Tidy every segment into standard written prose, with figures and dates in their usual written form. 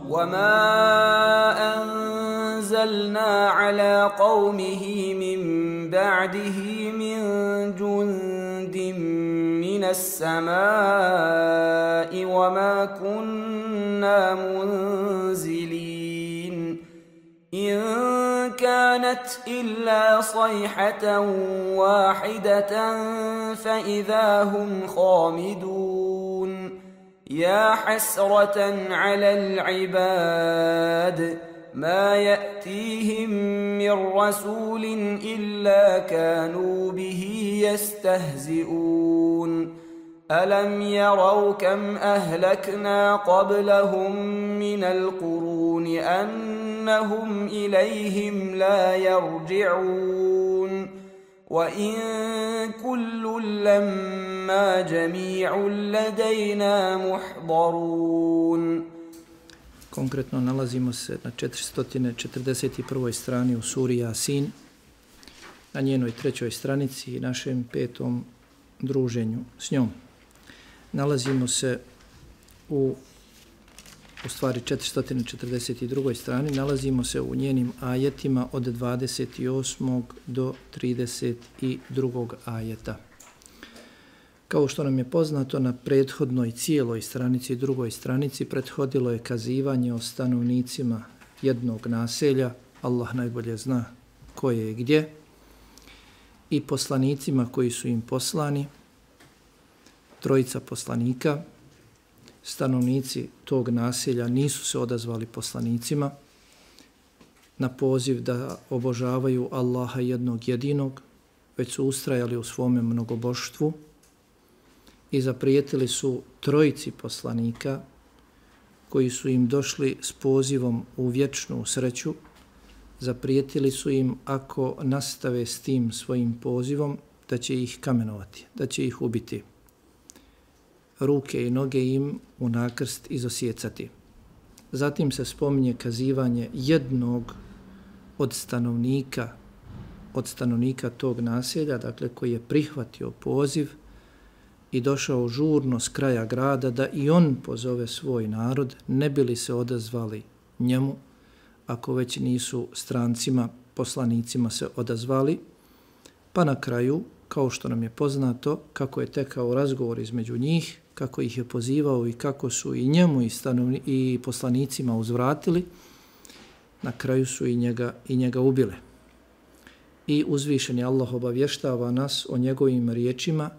وما أنزلنا على قومه من بعده من جند من السماء وما كنا منزلين إن كانت إلا صيحة واحدة فإذا هم خامدون يا حسرة على العباد ما يأتيهم من رسول إلا كانوا به يستهزئون ألم يروا كم أهلكنا قبلهم من القرون أنهم إليهم لا يرجعون وإن كل لما جميع لدينا محضرون. Konkretno nalazimo se na 441. strani u suri Jasin, na njenoj 3. stranici i našem 5. druženju s njom. Nalazimo se u stvari 442. strani, nalazimo se u njenim ajetima od 28. do 32. ajeta. Kao što nam je poznato, na prethodnoj cijeloj stranici, drugoj stranici, prethodilo je kazivanje o stanovnicima jednog naselja, Allah najbolje zna koje je gdje, i poslanicima koji su im poslani, 3 poslanika. Stanovnici tog naselja nisu se odazvali poslanicima na poziv da obožavaju Allaha jednog jedinog, već su ustrajali u svome mnogoboštvu i zaprijetili su 3 poslanika koji su im došli s pozivom u vječnu sreću. Zaprijetili su im ako nastave s tim svojim pozivom da će ih kamenovati, da će ih ubiti. Ruke i noge im u nakrst izosjecati. Zatim se spominje kazivanje jednog od stanovnika tog naselja, dakle koji je prihvatio poziv i došao žurno s kraja grada da i on pozove svoj narod, ne bi li se odazvali njemu, ako već nisu strancima, poslanicima se odazvali, pa na kraju, kao što nam je poznato, kako je tekao razgovor između njih, kako ih je pozivao i kako su i njemu i poslanicima uzvratili, na kraju su i njega ubile. I uzvišeni Allah obavještava nas o njegovim riječima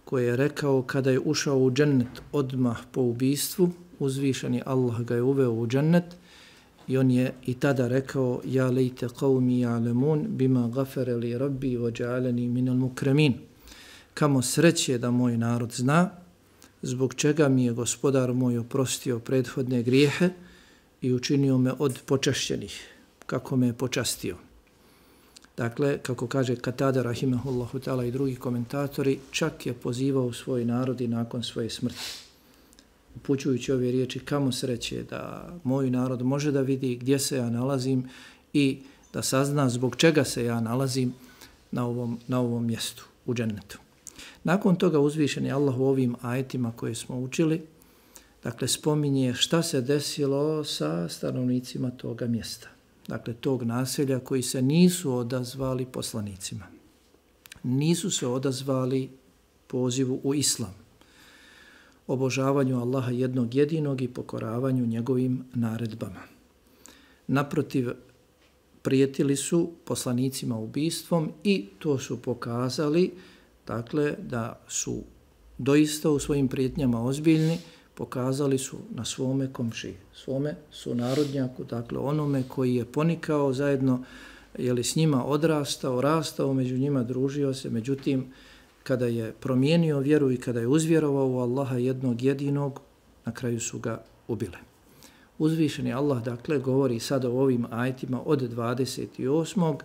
koje je rekao kada je ušao u džennet odmah po ubistvu, uzvišeni Allah ga je uveo u džennet i on je i tada rekao ja lejte qavmi ja'lemun bima gafere li rabbi vođa'aleni minal mukramin. Kamo sreće da moj narod zna zbog čega mi je gospodar moj oprostio prethodne grijehe i učinio me od počašćenih, kako me je počastio. Dakle, kako kaže Katada rahimahullahu ta'ala i drugi komentatori, čak je pozivao svoj narod i nakon svoje smrti. Upućujući ove riječi, kamo sreće da moj narod može da vidi gdje se ja nalazim i da sazna zbog čega se ja nalazim na ovom mjestu, u džennetu. Nakon toga uzvišeni Allah u ovim ajetima koje smo učili, dakle, spominje šta se desilo sa stanovnicima toga mjesta. Dakle, tog naselja koji se nisu odazvali poslanicima. Nisu se odazvali pozivu u islam, obožavanju Allaha jednog jedinog i pokoravanju njegovim naredbama. Naprotiv, prijetili su poslanicima ubistvom i to su pokazali, dakle, da su doista u svojim prijetnjama ozbiljni, pokazali su na svome komšiji, svome sunarodnjaku, dakle onome koji je ponikao zajedno, s njima odrastao, rastao, među njima družio se, međutim, kada je promijenio vjeru i kada je uzvjerovao u Allaha jednog jedinog, na kraju su ga ubile. Uzvišeni Allah, dakle, govori sada o ovim ajetima od 28.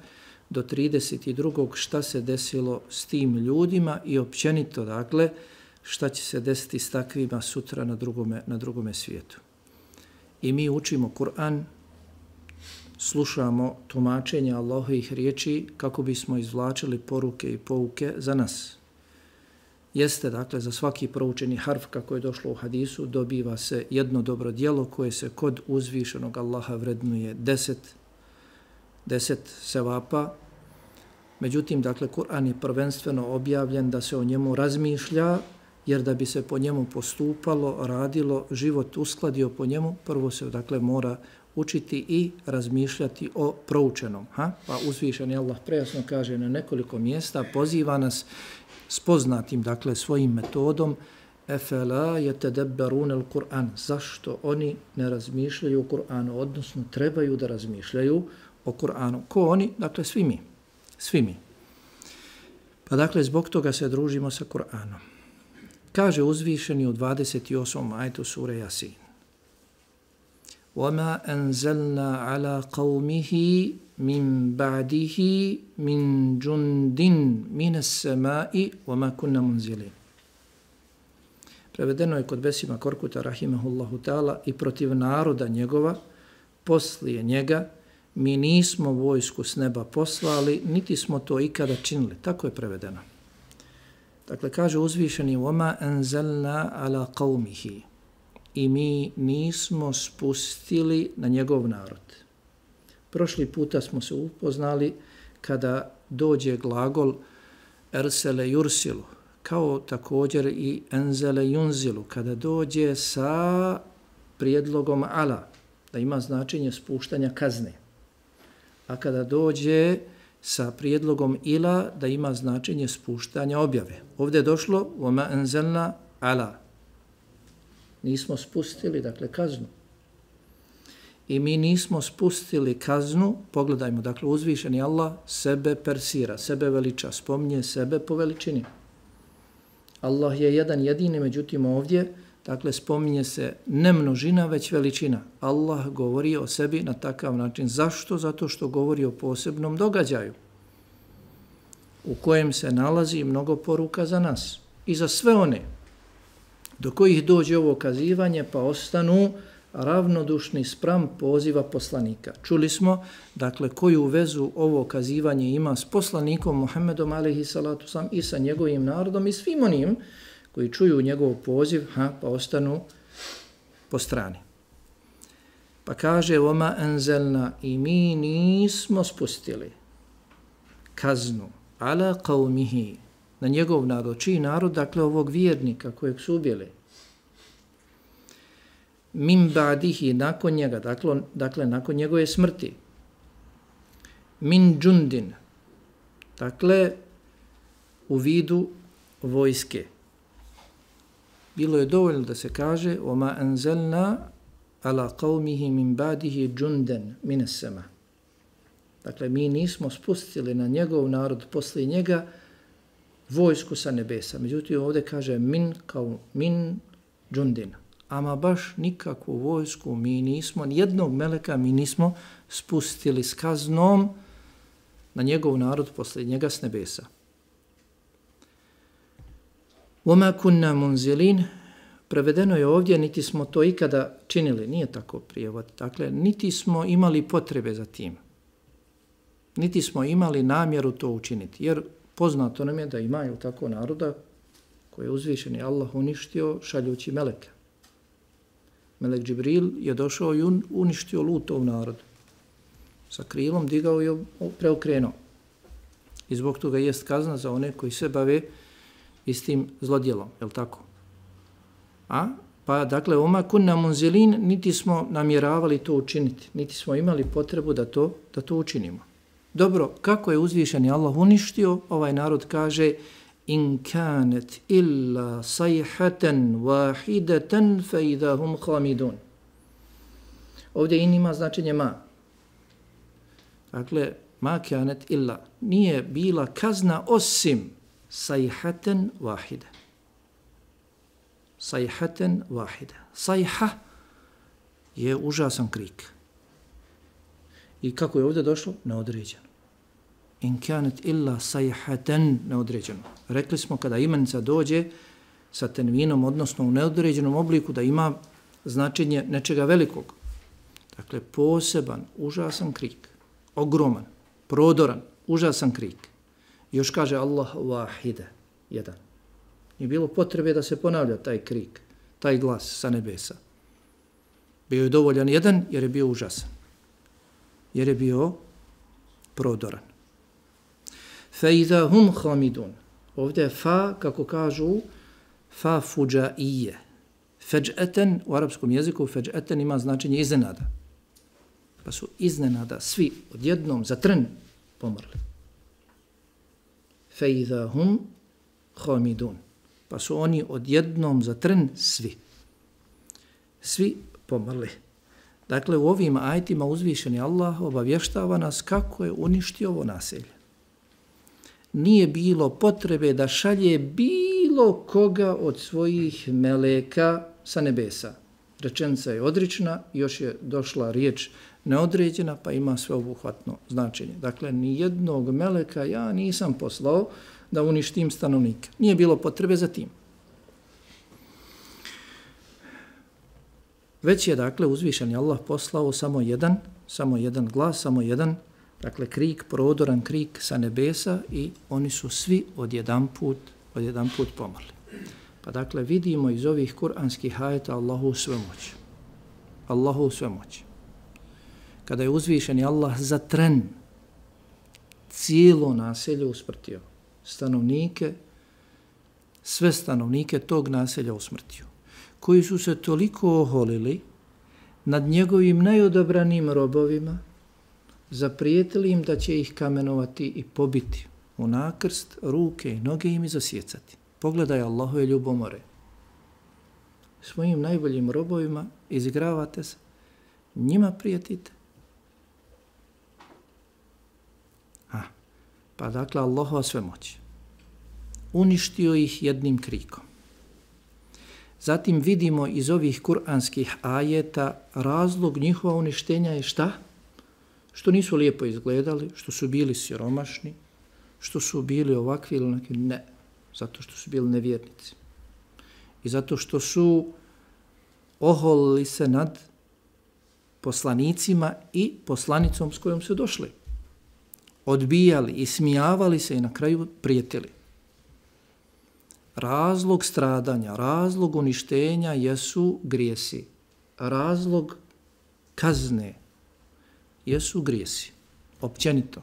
do 32. šta se desilo s tim ljudima i općenito, dakle, šta će se desiti s takvima sutra na drugome svijetu. I mi učimo Kur'an, slušamo tumačenja Allahovih riječi kako bismo izvlačili poruke i pouke za nas. jeste, dakle, za svaki proučeni harf, kako je došlo u hadisu, dobiva se jedno dobro djelo koje se kod uzvišenog Allaha vrednuje 10 sevapa. Međutim, dakle, Kur'an je prvenstveno objavljen da se o njemu razmišlja, jer da bi se po njemu postupalo, radilo, život uskladio po njemu, prvo se, dakle, mora učiti i razmišljati o proučenom. Pa uzvišeni Allah prejasno kaže na nekoliko mjesta, poziva nas s poznatim, dakle, svojim metodom, efela yatadabbarun al-Qur'an. Zašto oni ne razmišljaju o Kur'anu, odnosno trebaju da razmišljaju o Kur'anu? Ko oni? Dakle, svi mi. Svi mi. Pa dakle, zbog toga se družimo sa Kur'anom. Kaže uzvišeni u 28. ajetu sure Yasin. وَمَا أَنزَلْنَا عَلَى قَوْمِهِ مِنْ بَعْدِهِ مِنْ جُنْدٍ مِنَ السَّمَاءِ وَمَا كُنَّ مُنْزِلِينَ. Prevedeno je kod Besima Korkuta, rahimahullahu ta'ala, i protiv naroda njegova, poslije njega, mi nismo vojsku s neba poslali, niti smo to ikada činili. Tako je prevedeno. Dakle, kaže uzvišeni, وَمَا أَنزَلْنَا عَلَى قَوْمِهِ. I mi nismo spustili na njegov narod. Prošli puta smo se upoznali kada dođe glagol ersele yursilu, kao također i enzele yunzilu, kada dođe sa prijedlogom ala, da ima značenje spuštanja kazne. A kada dođe sa prijedlogom ila, da ima značenje spuštanja objave. Ovdje je došlo وَمَا أَنزَلْنَا عَلَى. Nismo spustili, dakle, kaznu. I mi nismo spustili kaznu, pogledajmo, dakle, uzvišeni Allah sebe persira, sebe veliča, spominje sebe po veličini. Allah je jedan jedini, međutim ovdje, dakle, spominje se ne množina, već veličina. Allah govori o sebi na takav način. Zašto? Zato što govori o posebnom događaju u kojem se nalazi mnogo poruka za nas i za sve one do kojih dođe ovo kazivanje pa ostanu ravnodušni spram poziva poslanika. Čuli smo, dakle, koju vezu ovo kazivanje ima s poslanikom Muhammedom alejhi salatu selam i sa njegovim narodom i svim onim koji čuju njegov poziv, pa ostanu po strani. Pa kaže, وَمَا أَنزَلْنَا. I mi nismo spustili kaznu ala qawmihi, na njegov narod. Čiji narod? Dakle, ovog vjernika kojeg su ubili. Min ba'dihi, nakon njega, dakle, nakon njegove smrti. Min džundin, dakle, u vidu vojske. Bilo je dovoljno da se kaže وَمَا أَنزَلْنَا عَلَى قَوْمِهِ مِنْ بَعْدِهِ جُنْدًا مِنَ السَّمَا. Dakle, mi nismo spustili na njegov narod poslije njega vojsku sa nebesa. Međutim, ovdje kaže min džundin. Ama baš nikakvu vojsku mi nismo, nijednog meleka mi nismo spustili s kaznom na njegov narod poslije njega s nebesa. وَمَا كُنَّا مُنْزِلِينَ. Prevedeno je ovdje, niti smo to ikada činili. Nije tako prijevod. Dakle, niti smo imali potrebe za tim. Niti smo imali namjeru to učiniti. Jer poznato nam je da imaju tako naroda koje je uzvišeni Allah uništio šaljući meleka. Melek Džibril je došao i uništio Lutov narod. Sa krilom digao i preokrenuo. I zbog toga jest kazna za one koji se bave istim zlodjelom. Je li tako? Pa dakle, oma kunna munzilin, niti smo namjeravali to učiniti. Niti smo imali potrebu da to učinimo. Dobro, kako je uzvišeni Allah uništio? Ovaj narod kaže in kanet illa sayhatan wahidatan fa idahum khamidun. Ovdje in ima značenje ma. Dakle, ma kanet illa. Nije bila kazna osim sayhatan wahida. Sayhatan wahida. Sayha je užasan krik. I kako je ovdje došlo? Neodređeno. In kanet illa sayhatan, neodređeno. Rekli smo kada imenica dođe sa tenvinom, odnosno u neodređenom obliku, da ima značenje nečega velikog. Dakle, poseban, užasan krik. Ogroman, prodoran, užasan krik. Još kaže Allah wahide, jedan. Nije bilo potrebe da se ponavlja taj krik, taj glas sa nebesa. Bio je dovoljan jedan jer je bio užasan. Jer je bio prodoran. فَإِذَا هُمْ خَامِدُونَ. Ovdje je fa, kako kažu, fa fuđaije. Feđeten, u arapskom jeziku, feđeten ima značenje iznenada. Pa su iznenada svi odjednom za tren pomrli. فَإِذَا هُمْ خَامِدُونَ. Pa su oni odjednom za tren svi pomrli. Dakle, u ovim ajetima uzvišeni Allah obavještava nas kako je uništio ovo naselje. Nije bilo potrebe da šalje bilo koga od svojih meleka sa nebesa. Rečenica je odrična, još je došla riječ neodređena, pa ima sveobuhvatno značenje. Dakle, ni jednog meleka ja nisam poslao da uništim stanovnike. Nije bilo potrebe za tim. Već je, dakle, uzvišeni Allah poslao samo jedan glas, samo jedan, dakle, krik, prodoran krik sa nebesa i oni su svi odjedanput pomrli. Pa, dakle, vidimo iz ovih kuranskih ajeta Allahu svemoć. Allahu svemoć. Kada je uzvišeni Allah za tren cijelo naselje usmrtio, sve stanovnike tog naselja usmrtio, koji su se toliko oholili nad njegovim najodabranim robovima, zaprijetili im da će ih kamenovati i pobiti u nakrst, ruke i noge im izosjecati. Pogledaj Allahove ljubomore. Svojim najboljim robovima izigravate se, njima prijetite. Pa dakle, Allahova svemoć. Uništio ih jednim krikom. Zatim vidimo iz ovih kuranskih ajeta razlog njihova uništenja je šta? Što nisu lijepo izgledali, što su bili siromašni, što su bili ovakvi ili onakvi. Ne, zato što su bili nevjernici. I zato što su oholili se nad poslanicima i poslanicom s kojom su došli. Odbijali i smijavali se i na kraju prijetili. Razlog stradanja, razlog uništenja jesu grijesi. Razlog kazne jesu grijesi. Općenito.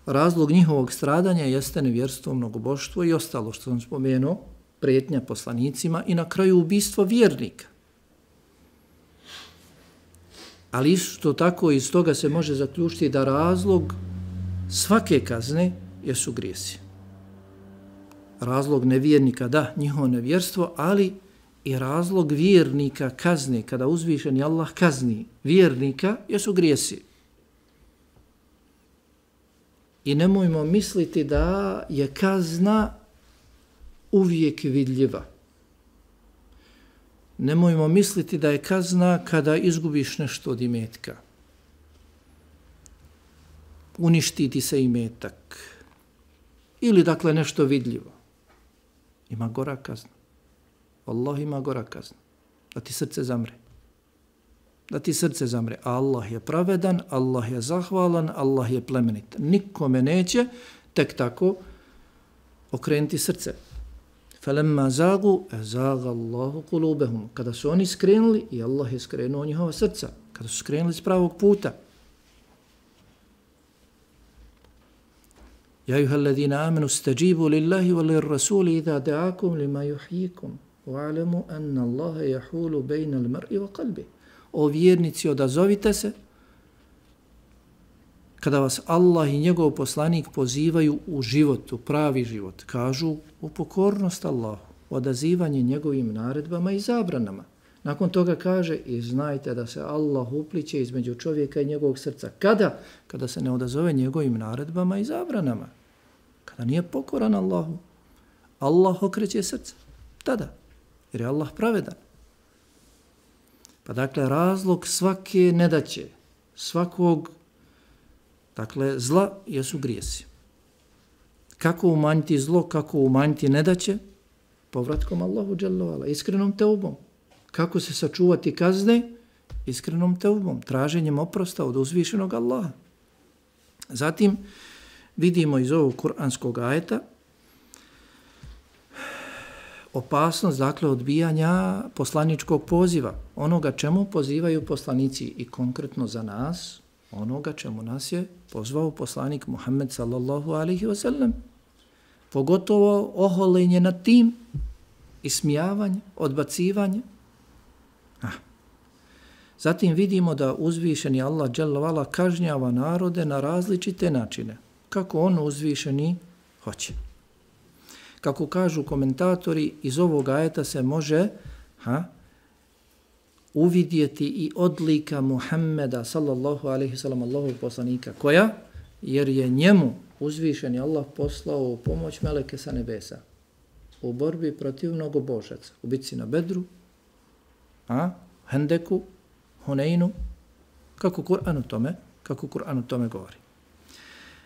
Razlog njihovog stradanja jeste nevjerstvo, mnogoboštvo i ostalo što sam spomenuo, prijetnja poslanicima i na kraju ubistvo vjernika. Ali isto tako iz toga se može zaključiti da razlog svake kazne jesu grijesi. Razlog nevjernika, da, njihovo nevjerstvo, ali i razlog vjernika kazne, kada uzvišeni Allah kazni vjernika, jesu grijesi. I nemojmo misliti da je kazna uvijek vidljiva. Nemojmo misliti da je kazna kada izgubiš nešto od imetka. Uništi ti se imetak. Ili dakle nešto vidljivo. Ima gora kazna. Allah ima gora kazna. Da ti srce zamre. Da ti srce zamre. Allah je pravedan, Allah je zahvalan, Allah je plemenit. Nikome neće tek tako okrenuti srce. فَلَمَّا زَاغُوا أَزَاغَ اللَّهُ قُلُوبَهُمْ. Kada su oni skrenuli, i Allah je skrenuo njihova srca. Kada su skrenuli s pravog puta. يَا أَيُّهَا الَّذِينَ آمَنُوا اسْتَجِيبُوا لِلَّهِ وَلِلرَّسُولِ إِذَا دَعَاكُمْ لِمَا يُحْيِيكُمْ وَاعْلَمُوا أَنَّ اللَّهَ يَحُولُ بَيْنَ الْمَرْءِ وَقَلْبِهِ. O vjernici, odazovite se kada vas Allah i njegov poslanik pozivaju u život, u pravi život. Kažu u pokornost Allahu, odazivanje njegovim naredbama i zabranama. Nakon toga kaže i znajte da se Allah upliće između čovjeka i njegovog srca. Kada? Kada se ne odazove njegovim naredbama i zabranama. Kada nije pokoran Allahu. Allah okreće srce. Tada. Jer je Allah pravedan. Pa dakle, razlog svake nedaće, svakog dakle, zla jesu grijesi. Kako umanjiti zlo, kako umanjiti nedaće? Povratkom Allahu dželle ve ala, iskrenom teubom. Kako se sačuvati kazne? Iskrenom teubom, traženjem oprosta od uzvišenog Allaha. Zatim vidimo iz ovog kuranskog ajeta opasnost, dakle, odbijanja poslaničkog poziva, onoga čemu pozivaju poslanici i konkretno za nas, onoga čemu nas je pozvao poslanik Muhammed sallallahu alaihi wasallam. Pogotovo oholenje nad tim, ismijavanje, odbacivanje. Zatim vidimo da uzvišeni Allah dželle ve ala kažnjava narode na različite načine, kako on uzvišeni hoće. Kako kažu komentatori, iz ovog ajeta se može uvidjeti i odlika Muhammeda sallallahu alejhi ve sellem, Allahovog poslanika, koja, jer je njemu uzvišeni Allah poslao u pomoć meleke sa nebesa u borbi protiv mnogobožaca, u bitci na Bedru, Hendeku, Huneinu, kako Kur'an o tome govori.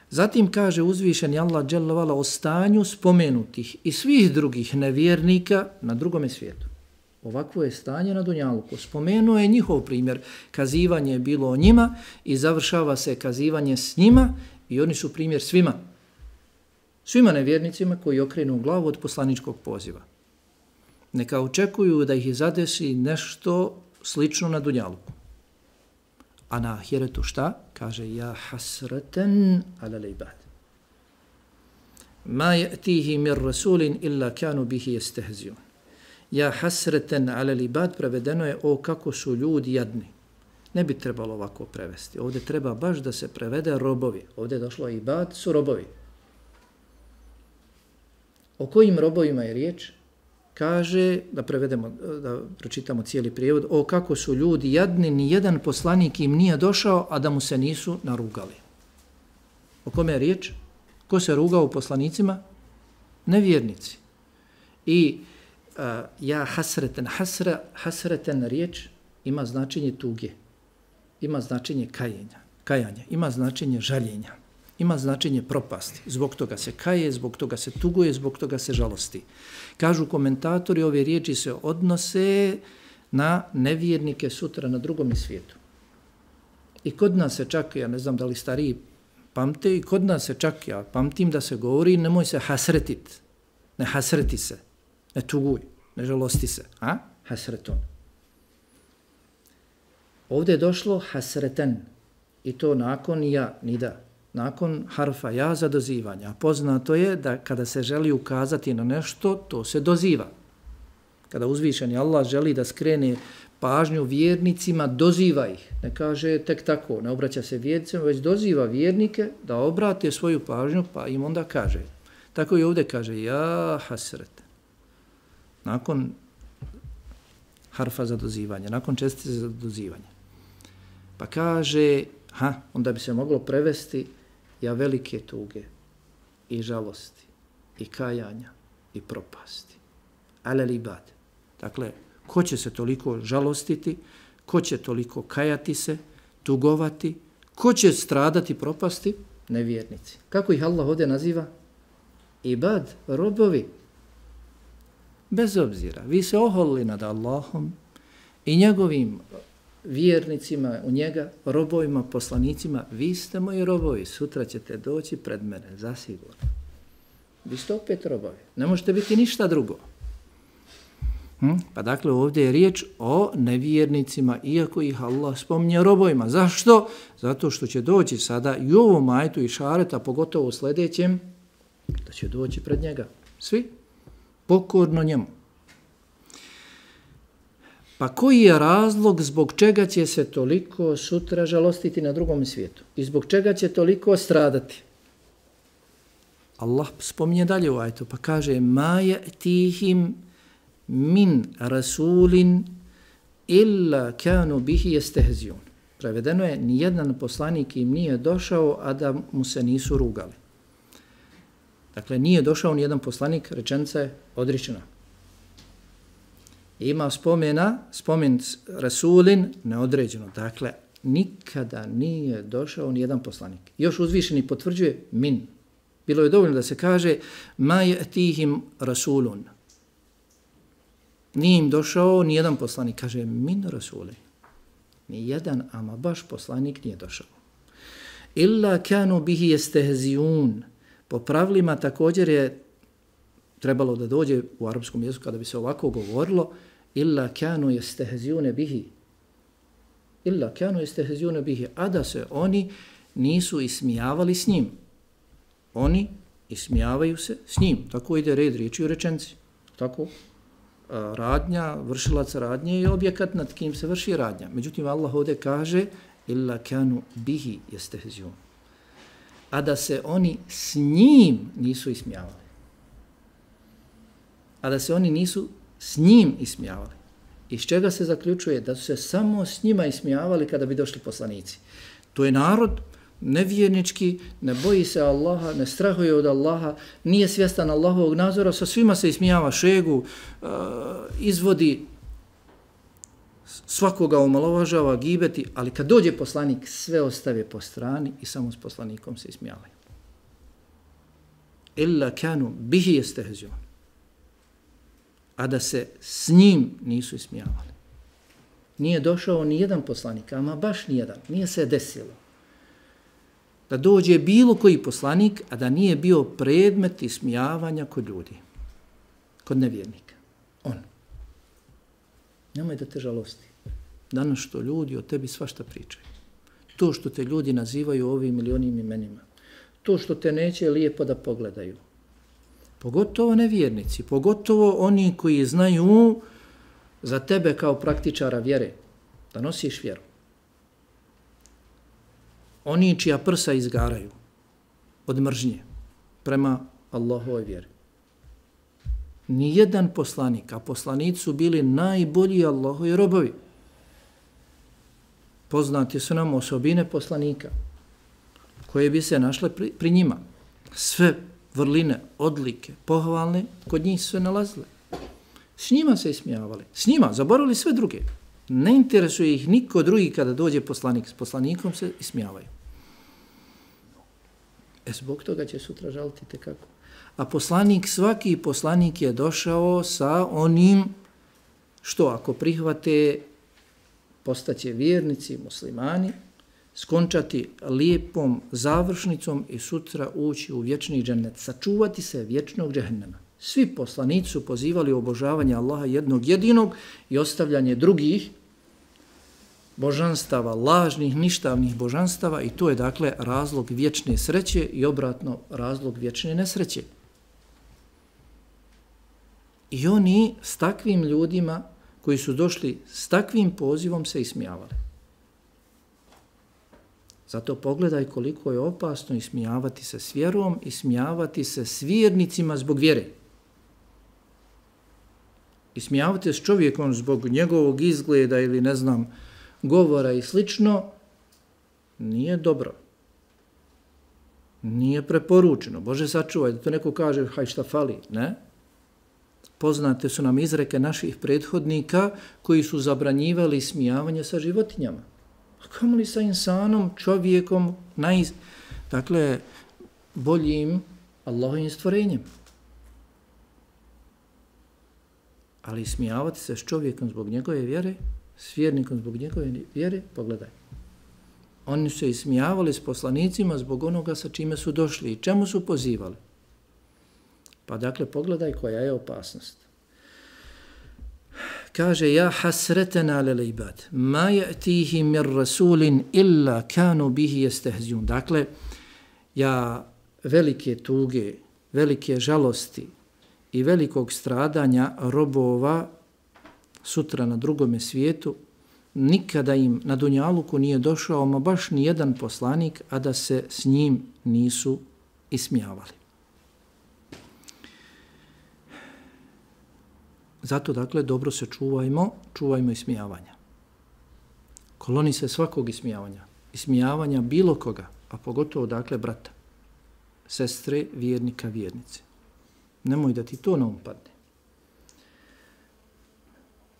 Zatim kaže uzvišeni Allah dželle ve ala o stanju spomenutih i svih drugih nevjernika na drugome svijetu. Ovakvo je stanje na dunjaluku. Spomenuo je njihov primjer. Kazivanje je bilo o njima i završava se kazivanje s njima i oni su primjer svima. Svima nevjernicima koji okrenu glavu od poslaničkog poziva. Neka očekuju da ih zadesi nešto slično na dunjaluku. A na ahiretu šta? Kaže, ja hasreten ala l'ibad. Ma ya'tihi min rasulin illa kanu bihi yastehziun. Ja hasreten ala l'ibad prevedeno je o kako su ljudi jadni. Ne bi trebalo ovako prevesti. Ovdje treba baš da se prevede robovi. Ovdje je došlo ibad, su robovi. O kojim robovima je riječ? Kaže, da prevedemo, da pročitamo cijeli prijevod, o kako su ljudi jadni, ni jedan poslanik im nije došao, a da mu se nisu narugali. O kome je riječ? Ko se rugao poslanicima? Nevjernici. I ja hasreten riječ ima značenje tuge, ima značenje kajanja, ima značenje žaljenja, ima značenje propasti. Zbog toga se kaje, zbog toga se tuguje, zbog toga se žalosti. Kažu komentatori, ove riječi se odnose na nevjernike sutra na drugom svijetu. I kod nas se čak, ja ne znam da li stariji pamte, i kod nas se čak, ja pamtim da se govori, nemoj se hasretit, ne hasreti se, ne tuguj, ne žalosti se, hasreton. Ovdje je došlo hasreten i to nakon ja, nida. Nakon harfa ja za dozivanje. A poznato je da kada se želi ukazati na nešto, to se doziva. Kada uzvišeni Allah želi da skrene pažnju vjernicima, doziva ih. Ne kaže tek tako, ne obraća se vjernicima, već doziva vjernike da obrate svoju pažnju, pa im onda kaže. Tako i ovdje kaže, ja hasret. Nakon harfa za dozivanje, nakon čestice za dozivanje. Pa kaže, onda bi se moglo prevesti ja velike tuge i žalosti i kajanja i propasti. Ale libad. Dakle, ko će se toliko žalostiti, ko će toliko kajati se, tugovati, ko će stradati, propasti? Nevjernici. Kako ih Allah ovdje naziva? Ibad, robovi. Bez obzira, vi se oholili nad Allahom i njegovim vjernicima u njega, robovima, poslanicima, vi ste moji robovi, sutra ćete doći pred mene, zasigurno. Vi ste opet robovi, ne možete biti ništa drugo. Pa dakle ovdje je riječ o nevjernicima, iako ih Allah spominje robovima. Zašto? Zato što će doći sada i u ovom ajetu i šareta, pogotovo u sljedećem, da će doći pred njega. Svi pokorno njemu. Pa koji je razlog zbog čega će se toliko sutra žalostiti na drugom svijetu? I zbog čega će toliko stradati? Allah spominje dalje u ajetu, pa kaže ma ya'tihim min rasulin illa kanu bihi yastehziun. Prevedeno je, nijedan poslanik im nije došao, a da mu se nisu rugali. Dakle, nije došao nijedan poslanik, rečenica je odričena. Ima spomen rasulin neodređeno. Dakle, nikada nije došao nijedan poslanik. Još uzvišeni potvrđuje min. Bilo je dovoljno da se kaže ma ya'tihim rasulun. Nije im došao nijedan poslanik. Kaže min rasuli. Nijedan, ama baš poslanik nije došao. Illa kanu bihi yastehziun. Po pravilima također je trebalo da dođe u arapskom jeziku kada bi se ovako govorilo illa kanu yestehziune bihi. Illa kanu yestehziune bihi. A da se oni nisu ismijavali s njim. Oni ismijavaju se s njim. Tako ide red riječi u rečenci. Tako radnja, vršilac radnje je objekat nad kim se vrši radnja. Međutim, Allah ovdje kaže illa kanu bihi yestehziun. A da se oni s njim nisu ismijavali. A da se oni nisu s njim ismijavali. Iz čega se zaključuje? Da su se samo s njima ismijavali kada bi došli poslanici. To je narod nevjernički, ne boji se Allaha, ne strahuje od Allaha, nije svjestan Allahovog nadzora, sa svima se ismijava, šegu, izvodi, svakoga omalovažava, gibeti, ali kad dođe poslanik, sve ostave po strani i samo s poslanikom se ismijavaju. Illa kanu bihi yestehziun. A da se s njim nisu ismijavali. Nije došao ni jedan poslanik, ama baš ni jedan, nije se desilo da dođe bilo koji poslanik, a da nije bio predmet ismijavanja kod ljudi, kod nevjernika. On. Nemoj da te žalosti. Danas što ljudi o tebi svašta pričaju. To što te ljudi nazivaju ovim ili onim imenima. To što te neće lijepo da pogledaju. Pogotovo nevjernici, pogotovo oni koji znaju za tebe kao praktičara vjere, da nosiš vjeru. Oni čija prsa izgaraju od mržnje prema Allahovoj vjeri. Nijedan poslanik, a poslanici su bili najbolji Allahovi robovi. Poznati su nam osobine poslanika koje bi se našle pri njima. Sve vrline, odlike, pohvalne, kod njih su se nalazile. S njima se ismijavali. S njima, zaboravili sve druge. Ne interesuje ih niko drugi kada dođe poslanik. S poslanikom se ismijavaju. Zbog toga će sutra žaliti tekako. A poslanik, svaki poslanik je došao sa onim što ako prihvate postaće vjernici, muslimani, skončati lijepom završnicom i sutra ući u vječni džennet, sačuvati se vječnog džehennema. Svi poslanici su pozivali obožavanje Allaha jednog jedinog i ostavljanje drugih božanstava, lažnih, ništavnih božanstava i to je dakle razlog vječne sreće i obratno razlog vječne nesreće. I oni s takvim ljudima koji su došli s takvim pozivom se ismijavali. Zato pogledaj koliko je opasno ismijavati se s vjerom, ismijavati se s vjernicima zbog vjere. Ismijavati se s čovjekom zbog njegovog izgleda ili ne znam, govora i slično, nije dobro. Nije preporučeno. Bože sačuvaj da to neko kaže, haj šta fali, ne? Poznate su nam izreke naših prethodnika koji su zabranjivali smijavanje sa životinjama. A kamo li sa insanom, čovjekom, dakle, boljim Allahovim stvorenjem. Ali smijavati se s čovjekom zbog njegove vjere, s vjernikom zbog njegove vjere, pogledaj. Oni su se ismijavali s poslanicima zbog onoga sa čime su došli i čemu su pozivali. Pa dakle, pogledaj koja je opasnost. Kaže, ja hasretena lel ibad, ma ya'tihi mir rasulin illa kanu bihi yestehziun. Dakle, ja velike tuge, velike žalosti i velikog stradanja robova sutra na drugome svijetu, nikada im na dunjaluku nije došao, ma baš ni jedan poslanik, a da se s njim nisu ismijavali. Zato, dakle, dobro se čuvajmo ismijavanja. Koloni se svakog ismijavanja. Ismijavanja bilo koga, a pogotovo, dakle, brata, sestre, vjernika, vjernice. Nemoj da ti to ne umpadne.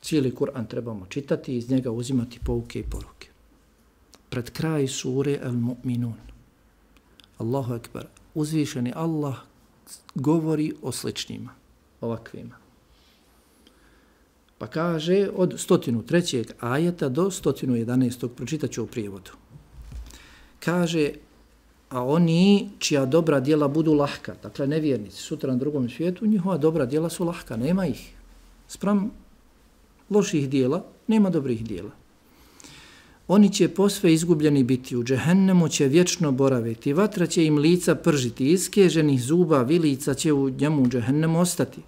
Cijeli Kur'an trebamo čitati i iz njega uzimati pouke i poruke. Pred kraj sure Al-Mu'minun. Allahu Ekber. Uzvišeni Allah govori o sličnjima, ovakvima. Pa kaže od 103. ajeta do 111. pročitat ću u prijevodu. Kaže a oni čija dobra djela budu lahka, dakle nevjernici, sutra na drugom svijetu, njihova dobra djela su lahka, nema ih. Spram loših djela, nema dobrih djela. Oni će posve izgubljeni biti, u džehennemu će vječno boraviti, vatra će im lica pržiti, iskeženih zuba, vilica će u njemu u džehennemu ostati.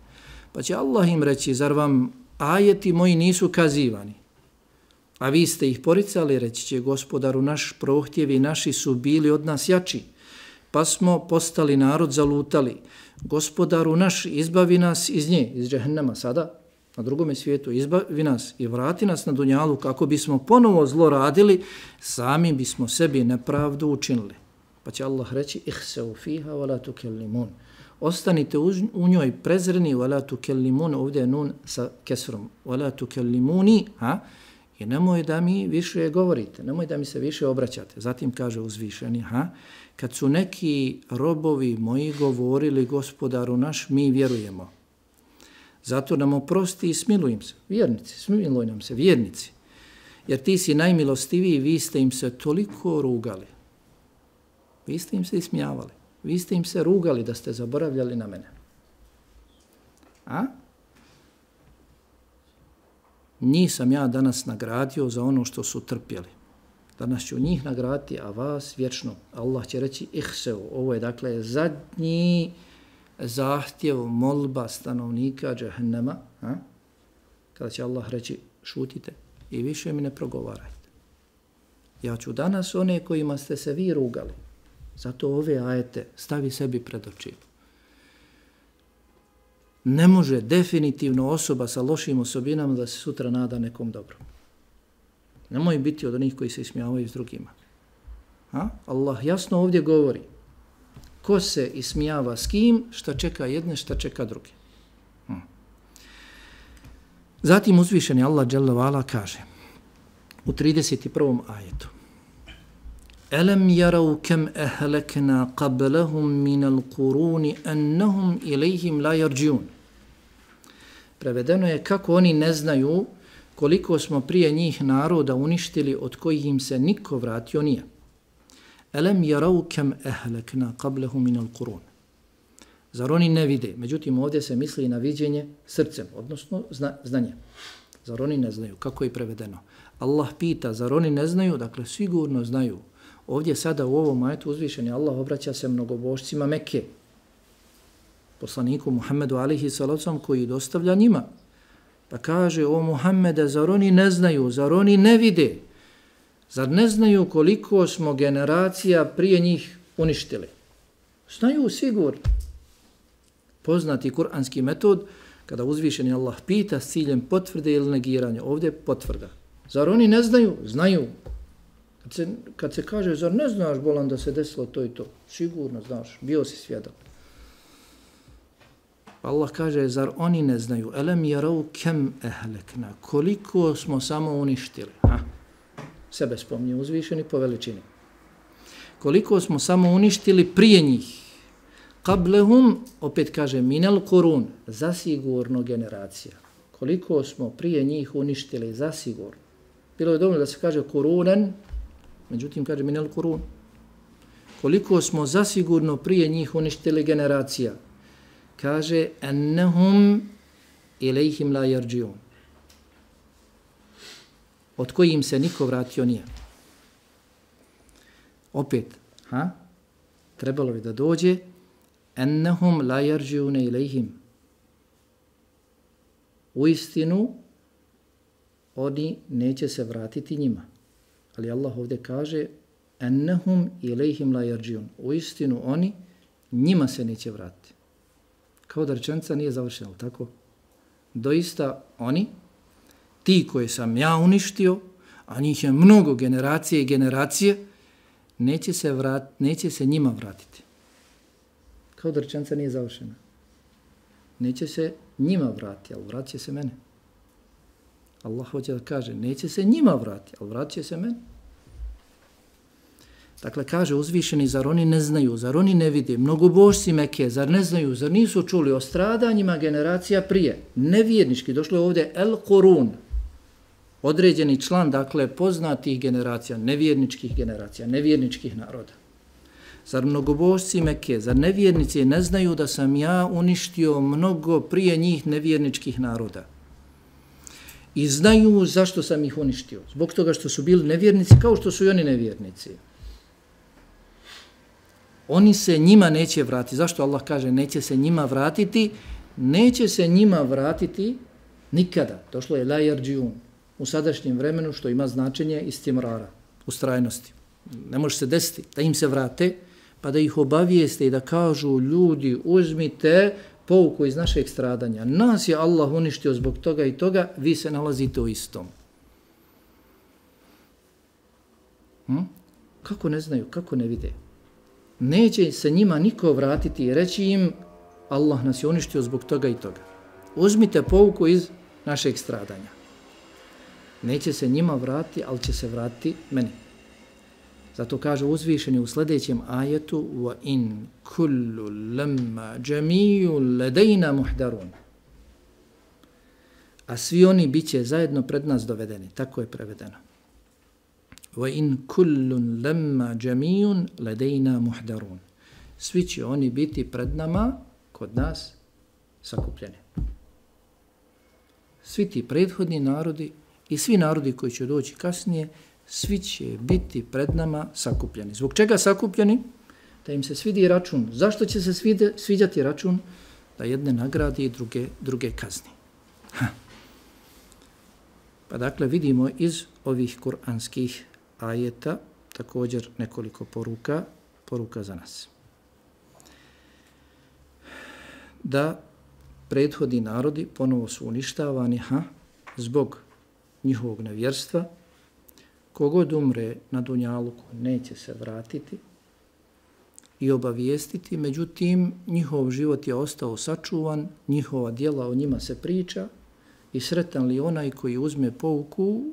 Pa će Allah im reći, zar vam ajeti moji nisu kazivani? A vi ste ih poricali, reći će gospodaru naš, prohtjevi naši su bili od nas jači, pa smo postali narod zalutali. Gospodaru naš, izbavi nas iz nje, iz džehennema sada, na drugome svijetu, izbavi nas i vrati nas na dunjalu kako bismo ponovo zlo radili, sami bismo sebi nepravdu učinili. Pa će Allah reći, ihseu fiha wa la tukellimun. Ostanite u njoj prezreni, wa la tukellimun, ovdje je nun sa kesrom, wa la tukellimuni, i nemoj da mi više govorite, nemoj da mi se više obraćate. Zatim kaže uzvišeni, kad su neki robovi moji govorili gospodaru naš, mi vjerujemo. Zato nam oprosti i smiluj im se. Vjernici, smiluj nam se, vjernici. Jer ti si najmilostiviji, vi ste im se toliko rugali. Vi ste im se ismijavali. Vi ste im se rugali da ste zaboravljali na mene. Njih sam ja danas nagradio za ono što su trpjeli. Danas ću njih nagraditi, a vas vječno. Allah će reći ihseu. Ovo je dakle zadnji zahtjev, molba stanovnika džehennema, kada će Allah reći šutite i više mi ne progovarajte. Ja ću danas one kojima ste se vi rugali, zato ove ajete stavi sebi pred oči. Ne može definitivno osoba sa lošim osobinama da se sutra nada nekom dobrom. Nemoj biti od onih koji se ismijavaju s drugima. Allah jasno ovdje govori ko se ismijava s kim, šta čeka jedne, šta čeka druge. Zatim uzvišeni Allah dželle vala kaže u 31. ajetu: Alam yarau kam ahlakna qablahum min al-quruni annahum ilayhim la yarjiun. Prevedeno je kako oni ne znaju koliko smo prije njih naroda uništili od kojih im se niko vratio nije. Alam yarau kam ahlakna qablahum min al-qurun. Zar oni ne vide? Međutim, ovdje se misli na viđenje srcem, odnosno znanje. Zar oni ne znaju? Kako je prevedeno? Allah pita, zar oni ne znaju? Dakle, sigurno znaju. Ovdje sada u ovom ajetu uzvišeni Allah obraća se mnogobožcima Mekke, poslaniku Muhammedu alihi salacom koji dostavlja njima. Pa kaže, o Muhammede, zar oni ne znaju? Zar oni ne vide? Zar ne znaju koliko smo generacija prije njih uništili? Znaju sigurno. Poznati kuranski metod, kada uzvišeni Allah pita s ciljem potvrde ili negiranja, ovdje potvrda. Zar oni ne znaju? Znaju. Kad se kaže, zar ne znaš, bolan, da se desilo to i to? Sigurno znaš, bio si svjedok. Allah kaže, zar oni ne znaju? Alam yarau kam ahlakna. Koliko smo samo uništili? Sebe spominje uzvišeni po veličini. Koliko smo samo uništili prije njih. Qablahum, opet kaže, minal qurun, zasigurno generacija. Koliko smo prije njih uništili, zasigurno. Bilo je dovoljno da se kaže kurunan, međutim kaže minal qurun. Koliko smo zasigurno prije njih uništili generacija. Kaže, annahum ilayhim la yarjiun. Od kojim se niko vratio nije. Opet, trebalo bi da dođe annahum la yarjiun ilayhim. U istinu, oni neće se vratiti njima. Ali Allah ovdje kaže annahum ilayhim la yarjiun. U istinu, oni njima se neće vratiti. Kao da rečenica nije završena, tako? Doista oni, ti koje sam ja uništio, a njih je mnogo generacije i generacije, neće se njima vratiti. Kao da rečenica nije završena. Neće se njima vratiti, ali vratit će se mene. Allah hoće da kaže, neće se njima vratiti, ali vratit će se mene. Dakle, kaže uzvišeni, zar oni ne znaju, zar oni ne vide, mnogobožci Mekke, zar ne znaju, zar nisu čuli o stradanjima generacija prije, nevjernički, došlo je ovdje El Qurun, određeni član, dakle, poznatih generacija, nevjerničkih generacija, nevjerničkih naroda. Zar mnogobožci Mekke, zar nevjernici ne znaju da sam ja uništio mnogo prije njih nevjerničkih naroda? I znaju zašto sam ih uništio. Zbog toga što su bili nevjernici kao što su i oni nevjernici. Oni se njima neće vratiti. Zašto Allah kaže neće se njima vratiti? Neće se njima vratiti nikada. Došlo je la yarđiun u sadašnjem vremenu što ima značenje istimrara, ustrajnosti. Ne može se desiti da im se vrate pa da ih obavijeste i da kažu ljudi uzmite pouku iz našeg stradanja. Nas je Allah uništio zbog toga i toga, vi se nalazite u istom. Kako ne znaju, kako ne vide? Neće se njima niko vratiti i reći im Allah nas je uništio zbog toga i toga. Uzmite pouku iz našeg stradanja. Neće se njima vratiti, ali će se vratiti meni. Zato kaže uzvišeni u sljedećem ajetu wa in kullu lamma jami'un ladayna muhdarun. A svi oni biće zajedno pred nas dovedeni. Tako je prevedeno. Wa in kullu lamma jami'un ladayna muhdarun. Svi će oni biti pred nama, kod nas, sakupljeni. Svi ti prethodni narodi i svi narodi koji će doći kasnije, svi će biti pred nama sakupljeni. Zbog čega sakupljeni? Da im se svidi račun. Zašto će se sviđati račun? Da jedne nagradi i druge kazni. Pa dakle vidimo iz ovih kuranskih ajeta također nekoliko poruka za nas. Da prethodni narodi ponovo su uništavani zbog njihovog nevjerstva. Kogod umre na dunjaluku neće se vratiti i obavijestiti, međutim njihov život je ostao sačuvan, njihova djela o njima se priča i sretan li onaj koji uzme pouku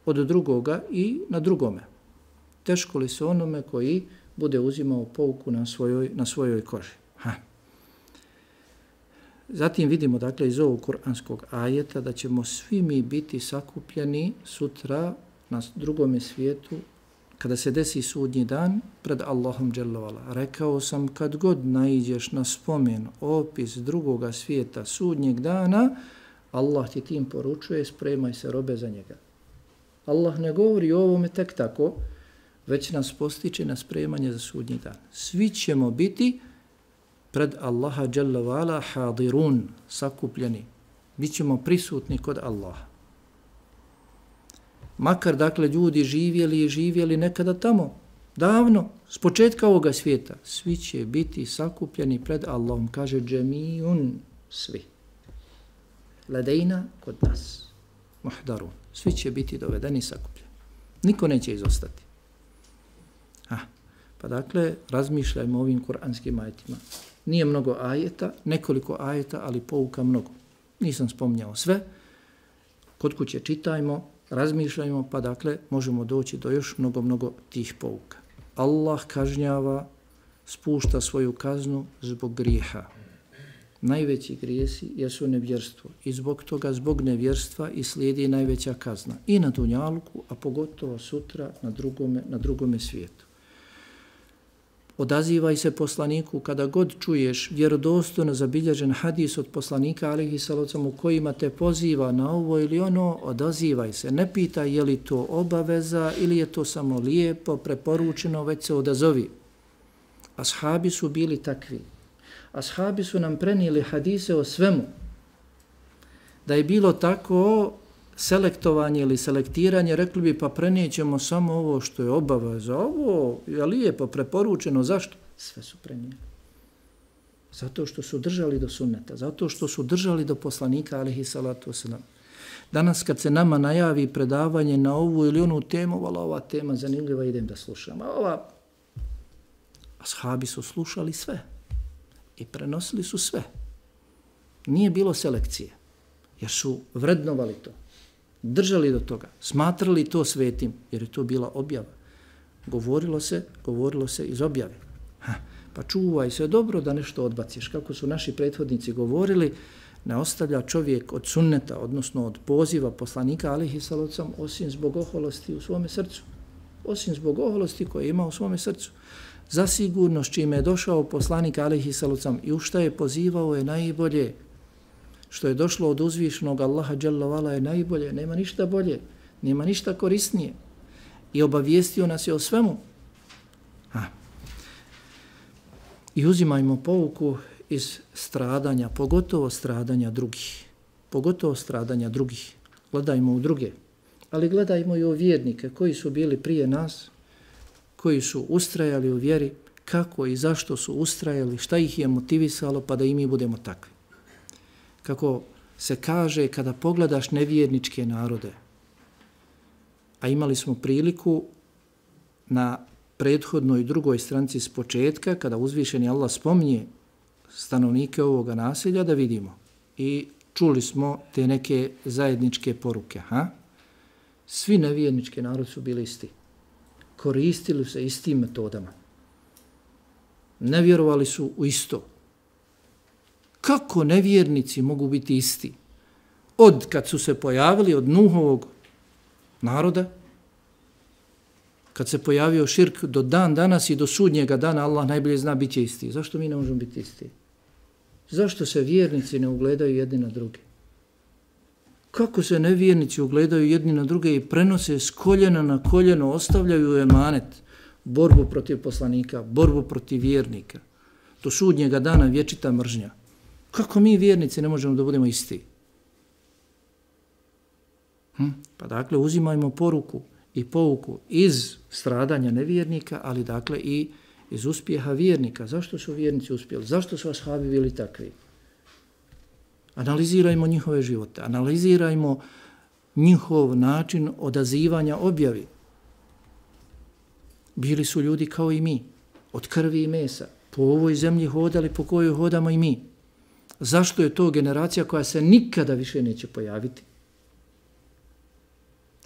od drugoga i na drugome. Teško li se onome koji bude uzimao pouku na svojoj koži. Zatim vidimo dakle iz ovog kuranskog ajeta da ćemo svi mi biti sakupljeni sutra na drugome svijetu kada se desi sudnji dan pred Allahom dželle ve ala. Rekao sam kad god naiđeš na spomen, opis drugoga svijeta sudnjeg dana, Allah ti tim poručuje spremaj se robe za njega. Allah ne govori o ovome tek tako, već nas postiče na spremanje za sudnji dan. Svi ćemo biti pred Allaha dželle ve ala hadirun, sakupljeni. Bićemo prisutni kod Allaha. Makar dakle ljudi živjeli nekada tamo, davno, s početka ovoga svijeta, svi će biti sakupljeni pred Allahom, kaže džemijun, svi. Ladejna kod nas, muhdarun, svi će biti dovedeni sakupljeni. Niko neće izostati. Pa dakle, razmišljajmo o ovim kuranskim ajetima. Nije mnogo ajeta, nekoliko ajeta, ali pouka mnogo. Nisam spominjao sve. Kod kuće čitajmo, razmišljajmo, pa dakle možemo doći do još mnogo tih pouka. Allah kažnjava, spušta svoju kaznu zbog grijeha. Najveći grijesi jesu nevjerstvo i zbog toga, zbog nevjerstva i slijedi najveća kazna. I na dunjaluku, a pogotovo sutra na drugome svijetu. Odazivaj se poslaniku kada god čuješ vjerodostojno zabilježen hadis od poslanika alejhi salatu u kojima te poziva na ovo ili ono, odazivaj se. Ne pitaj je li to obaveza ili je to samo lijepo, preporučeno, već se odazovi. Ashabi su bili takvi. Ashabi su nam prenijeli hadise o svemu. Da je bilo tako selektovanje ili selektiranje, rekli bi pa prenijećemo samo ovo što je obaveza, ovo je lijepo, preporučeno, zašto? Sve su prenijeli. Zato što su držali do sunneta, zato što su držali do poslanika alejhi salatu vesselam. Danas kad se nama najavi predavanje na ovu ili onu temu, ova tema zanimljiva, idem da slušam. Ashabi su slušali sve i prenosili su sve. Nije bilo selekcije, jer su vrednovali to. Držali do toga, smatrali to svetim, jer je to bila objava. Govorilo se iz objave. Pa čuvaj se dobro da nešto odbaciš. Kako su naši prethodnici govorili, ne ostavlja čovjek od sunneta, odnosno od poziva poslanika alejhi salatu osim zbog oholosti u svome srcu. osim zbog oholosti koje ima u svome srcu. Zasigurno s čime je došao poslanik alejhi salatu vesselam i u šta je pozivao je najbolje. Što je došlo od uzvišenog Allaha dželle vala je najbolje, nema ništa bolje, nema ništa korisnije. I obavijestio nas je o svemu. I uzimajmo pouku iz stradanja, pogotovo stradanja drugih. Pogotovo stradanja drugih. Gledajmo u druge, ali gledajmo i u vjernike koji su bili prije nas, koji su ustrajali u vjeri, kako i zašto su ustrajali, šta ih je motivisalo pa da i mi budemo takvi. Kako se kaže kada pogledaš nevjerničke narode, a imali smo priliku na prethodnoj drugoj stranici s početka, kada uzvišeni Allah spominje stanovnike ovoga naselja, da vidimo. I čuli smo te neke zajedničke poruke. Svi nevjernički narodi su bili isti. Koristili se istim metodama. Ne vjerovali su u isto. Kako nevjernici mogu biti isti? Od kad su se pojavili od Nuhovog naroda, kad se pojavio širk do dan danas i do sudnjega dana, Allah najbolje zna bit će isti. Zašto mi ne možemo biti isti? Zašto se vjernici ne ugledaju jedni na druge? Kako se nevjernici ugledaju jedni na druge i prenose s koljena na koljeno, ostavljaju emanet, borbu protiv poslanika, borbu protiv vjernika. Do sudnjega dana vječita mržnja. Kako mi vjernici ne možemo da budemo isti? Pa dakle, uzimajmo poruku i pouku iz stradanja nevjernika, ali dakle i iz uspjeha vjernika. Zašto su vjernici uspjeli? Zašto su ashabi bili takvi? Analizirajmo njihove živote, analizirajmo njihov način odazivanja objavi. Bili su ljudi kao i mi, od krvi i mesa, po ovoj zemlji hodali po kojoj hodamo i mi. Zašto je to generacija koja se nikada više neće pojaviti?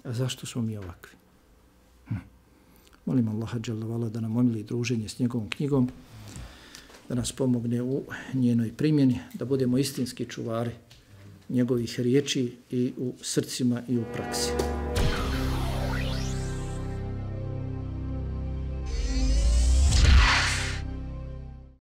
A zašto smo mi ovakvi? Molim Allaha dželle vala da nam omili druženje s njegovom knjigom, da nas pomogne u njenoj primjeni, da budemo istinski čuvari njegovih riječi i u srcima i u praksi.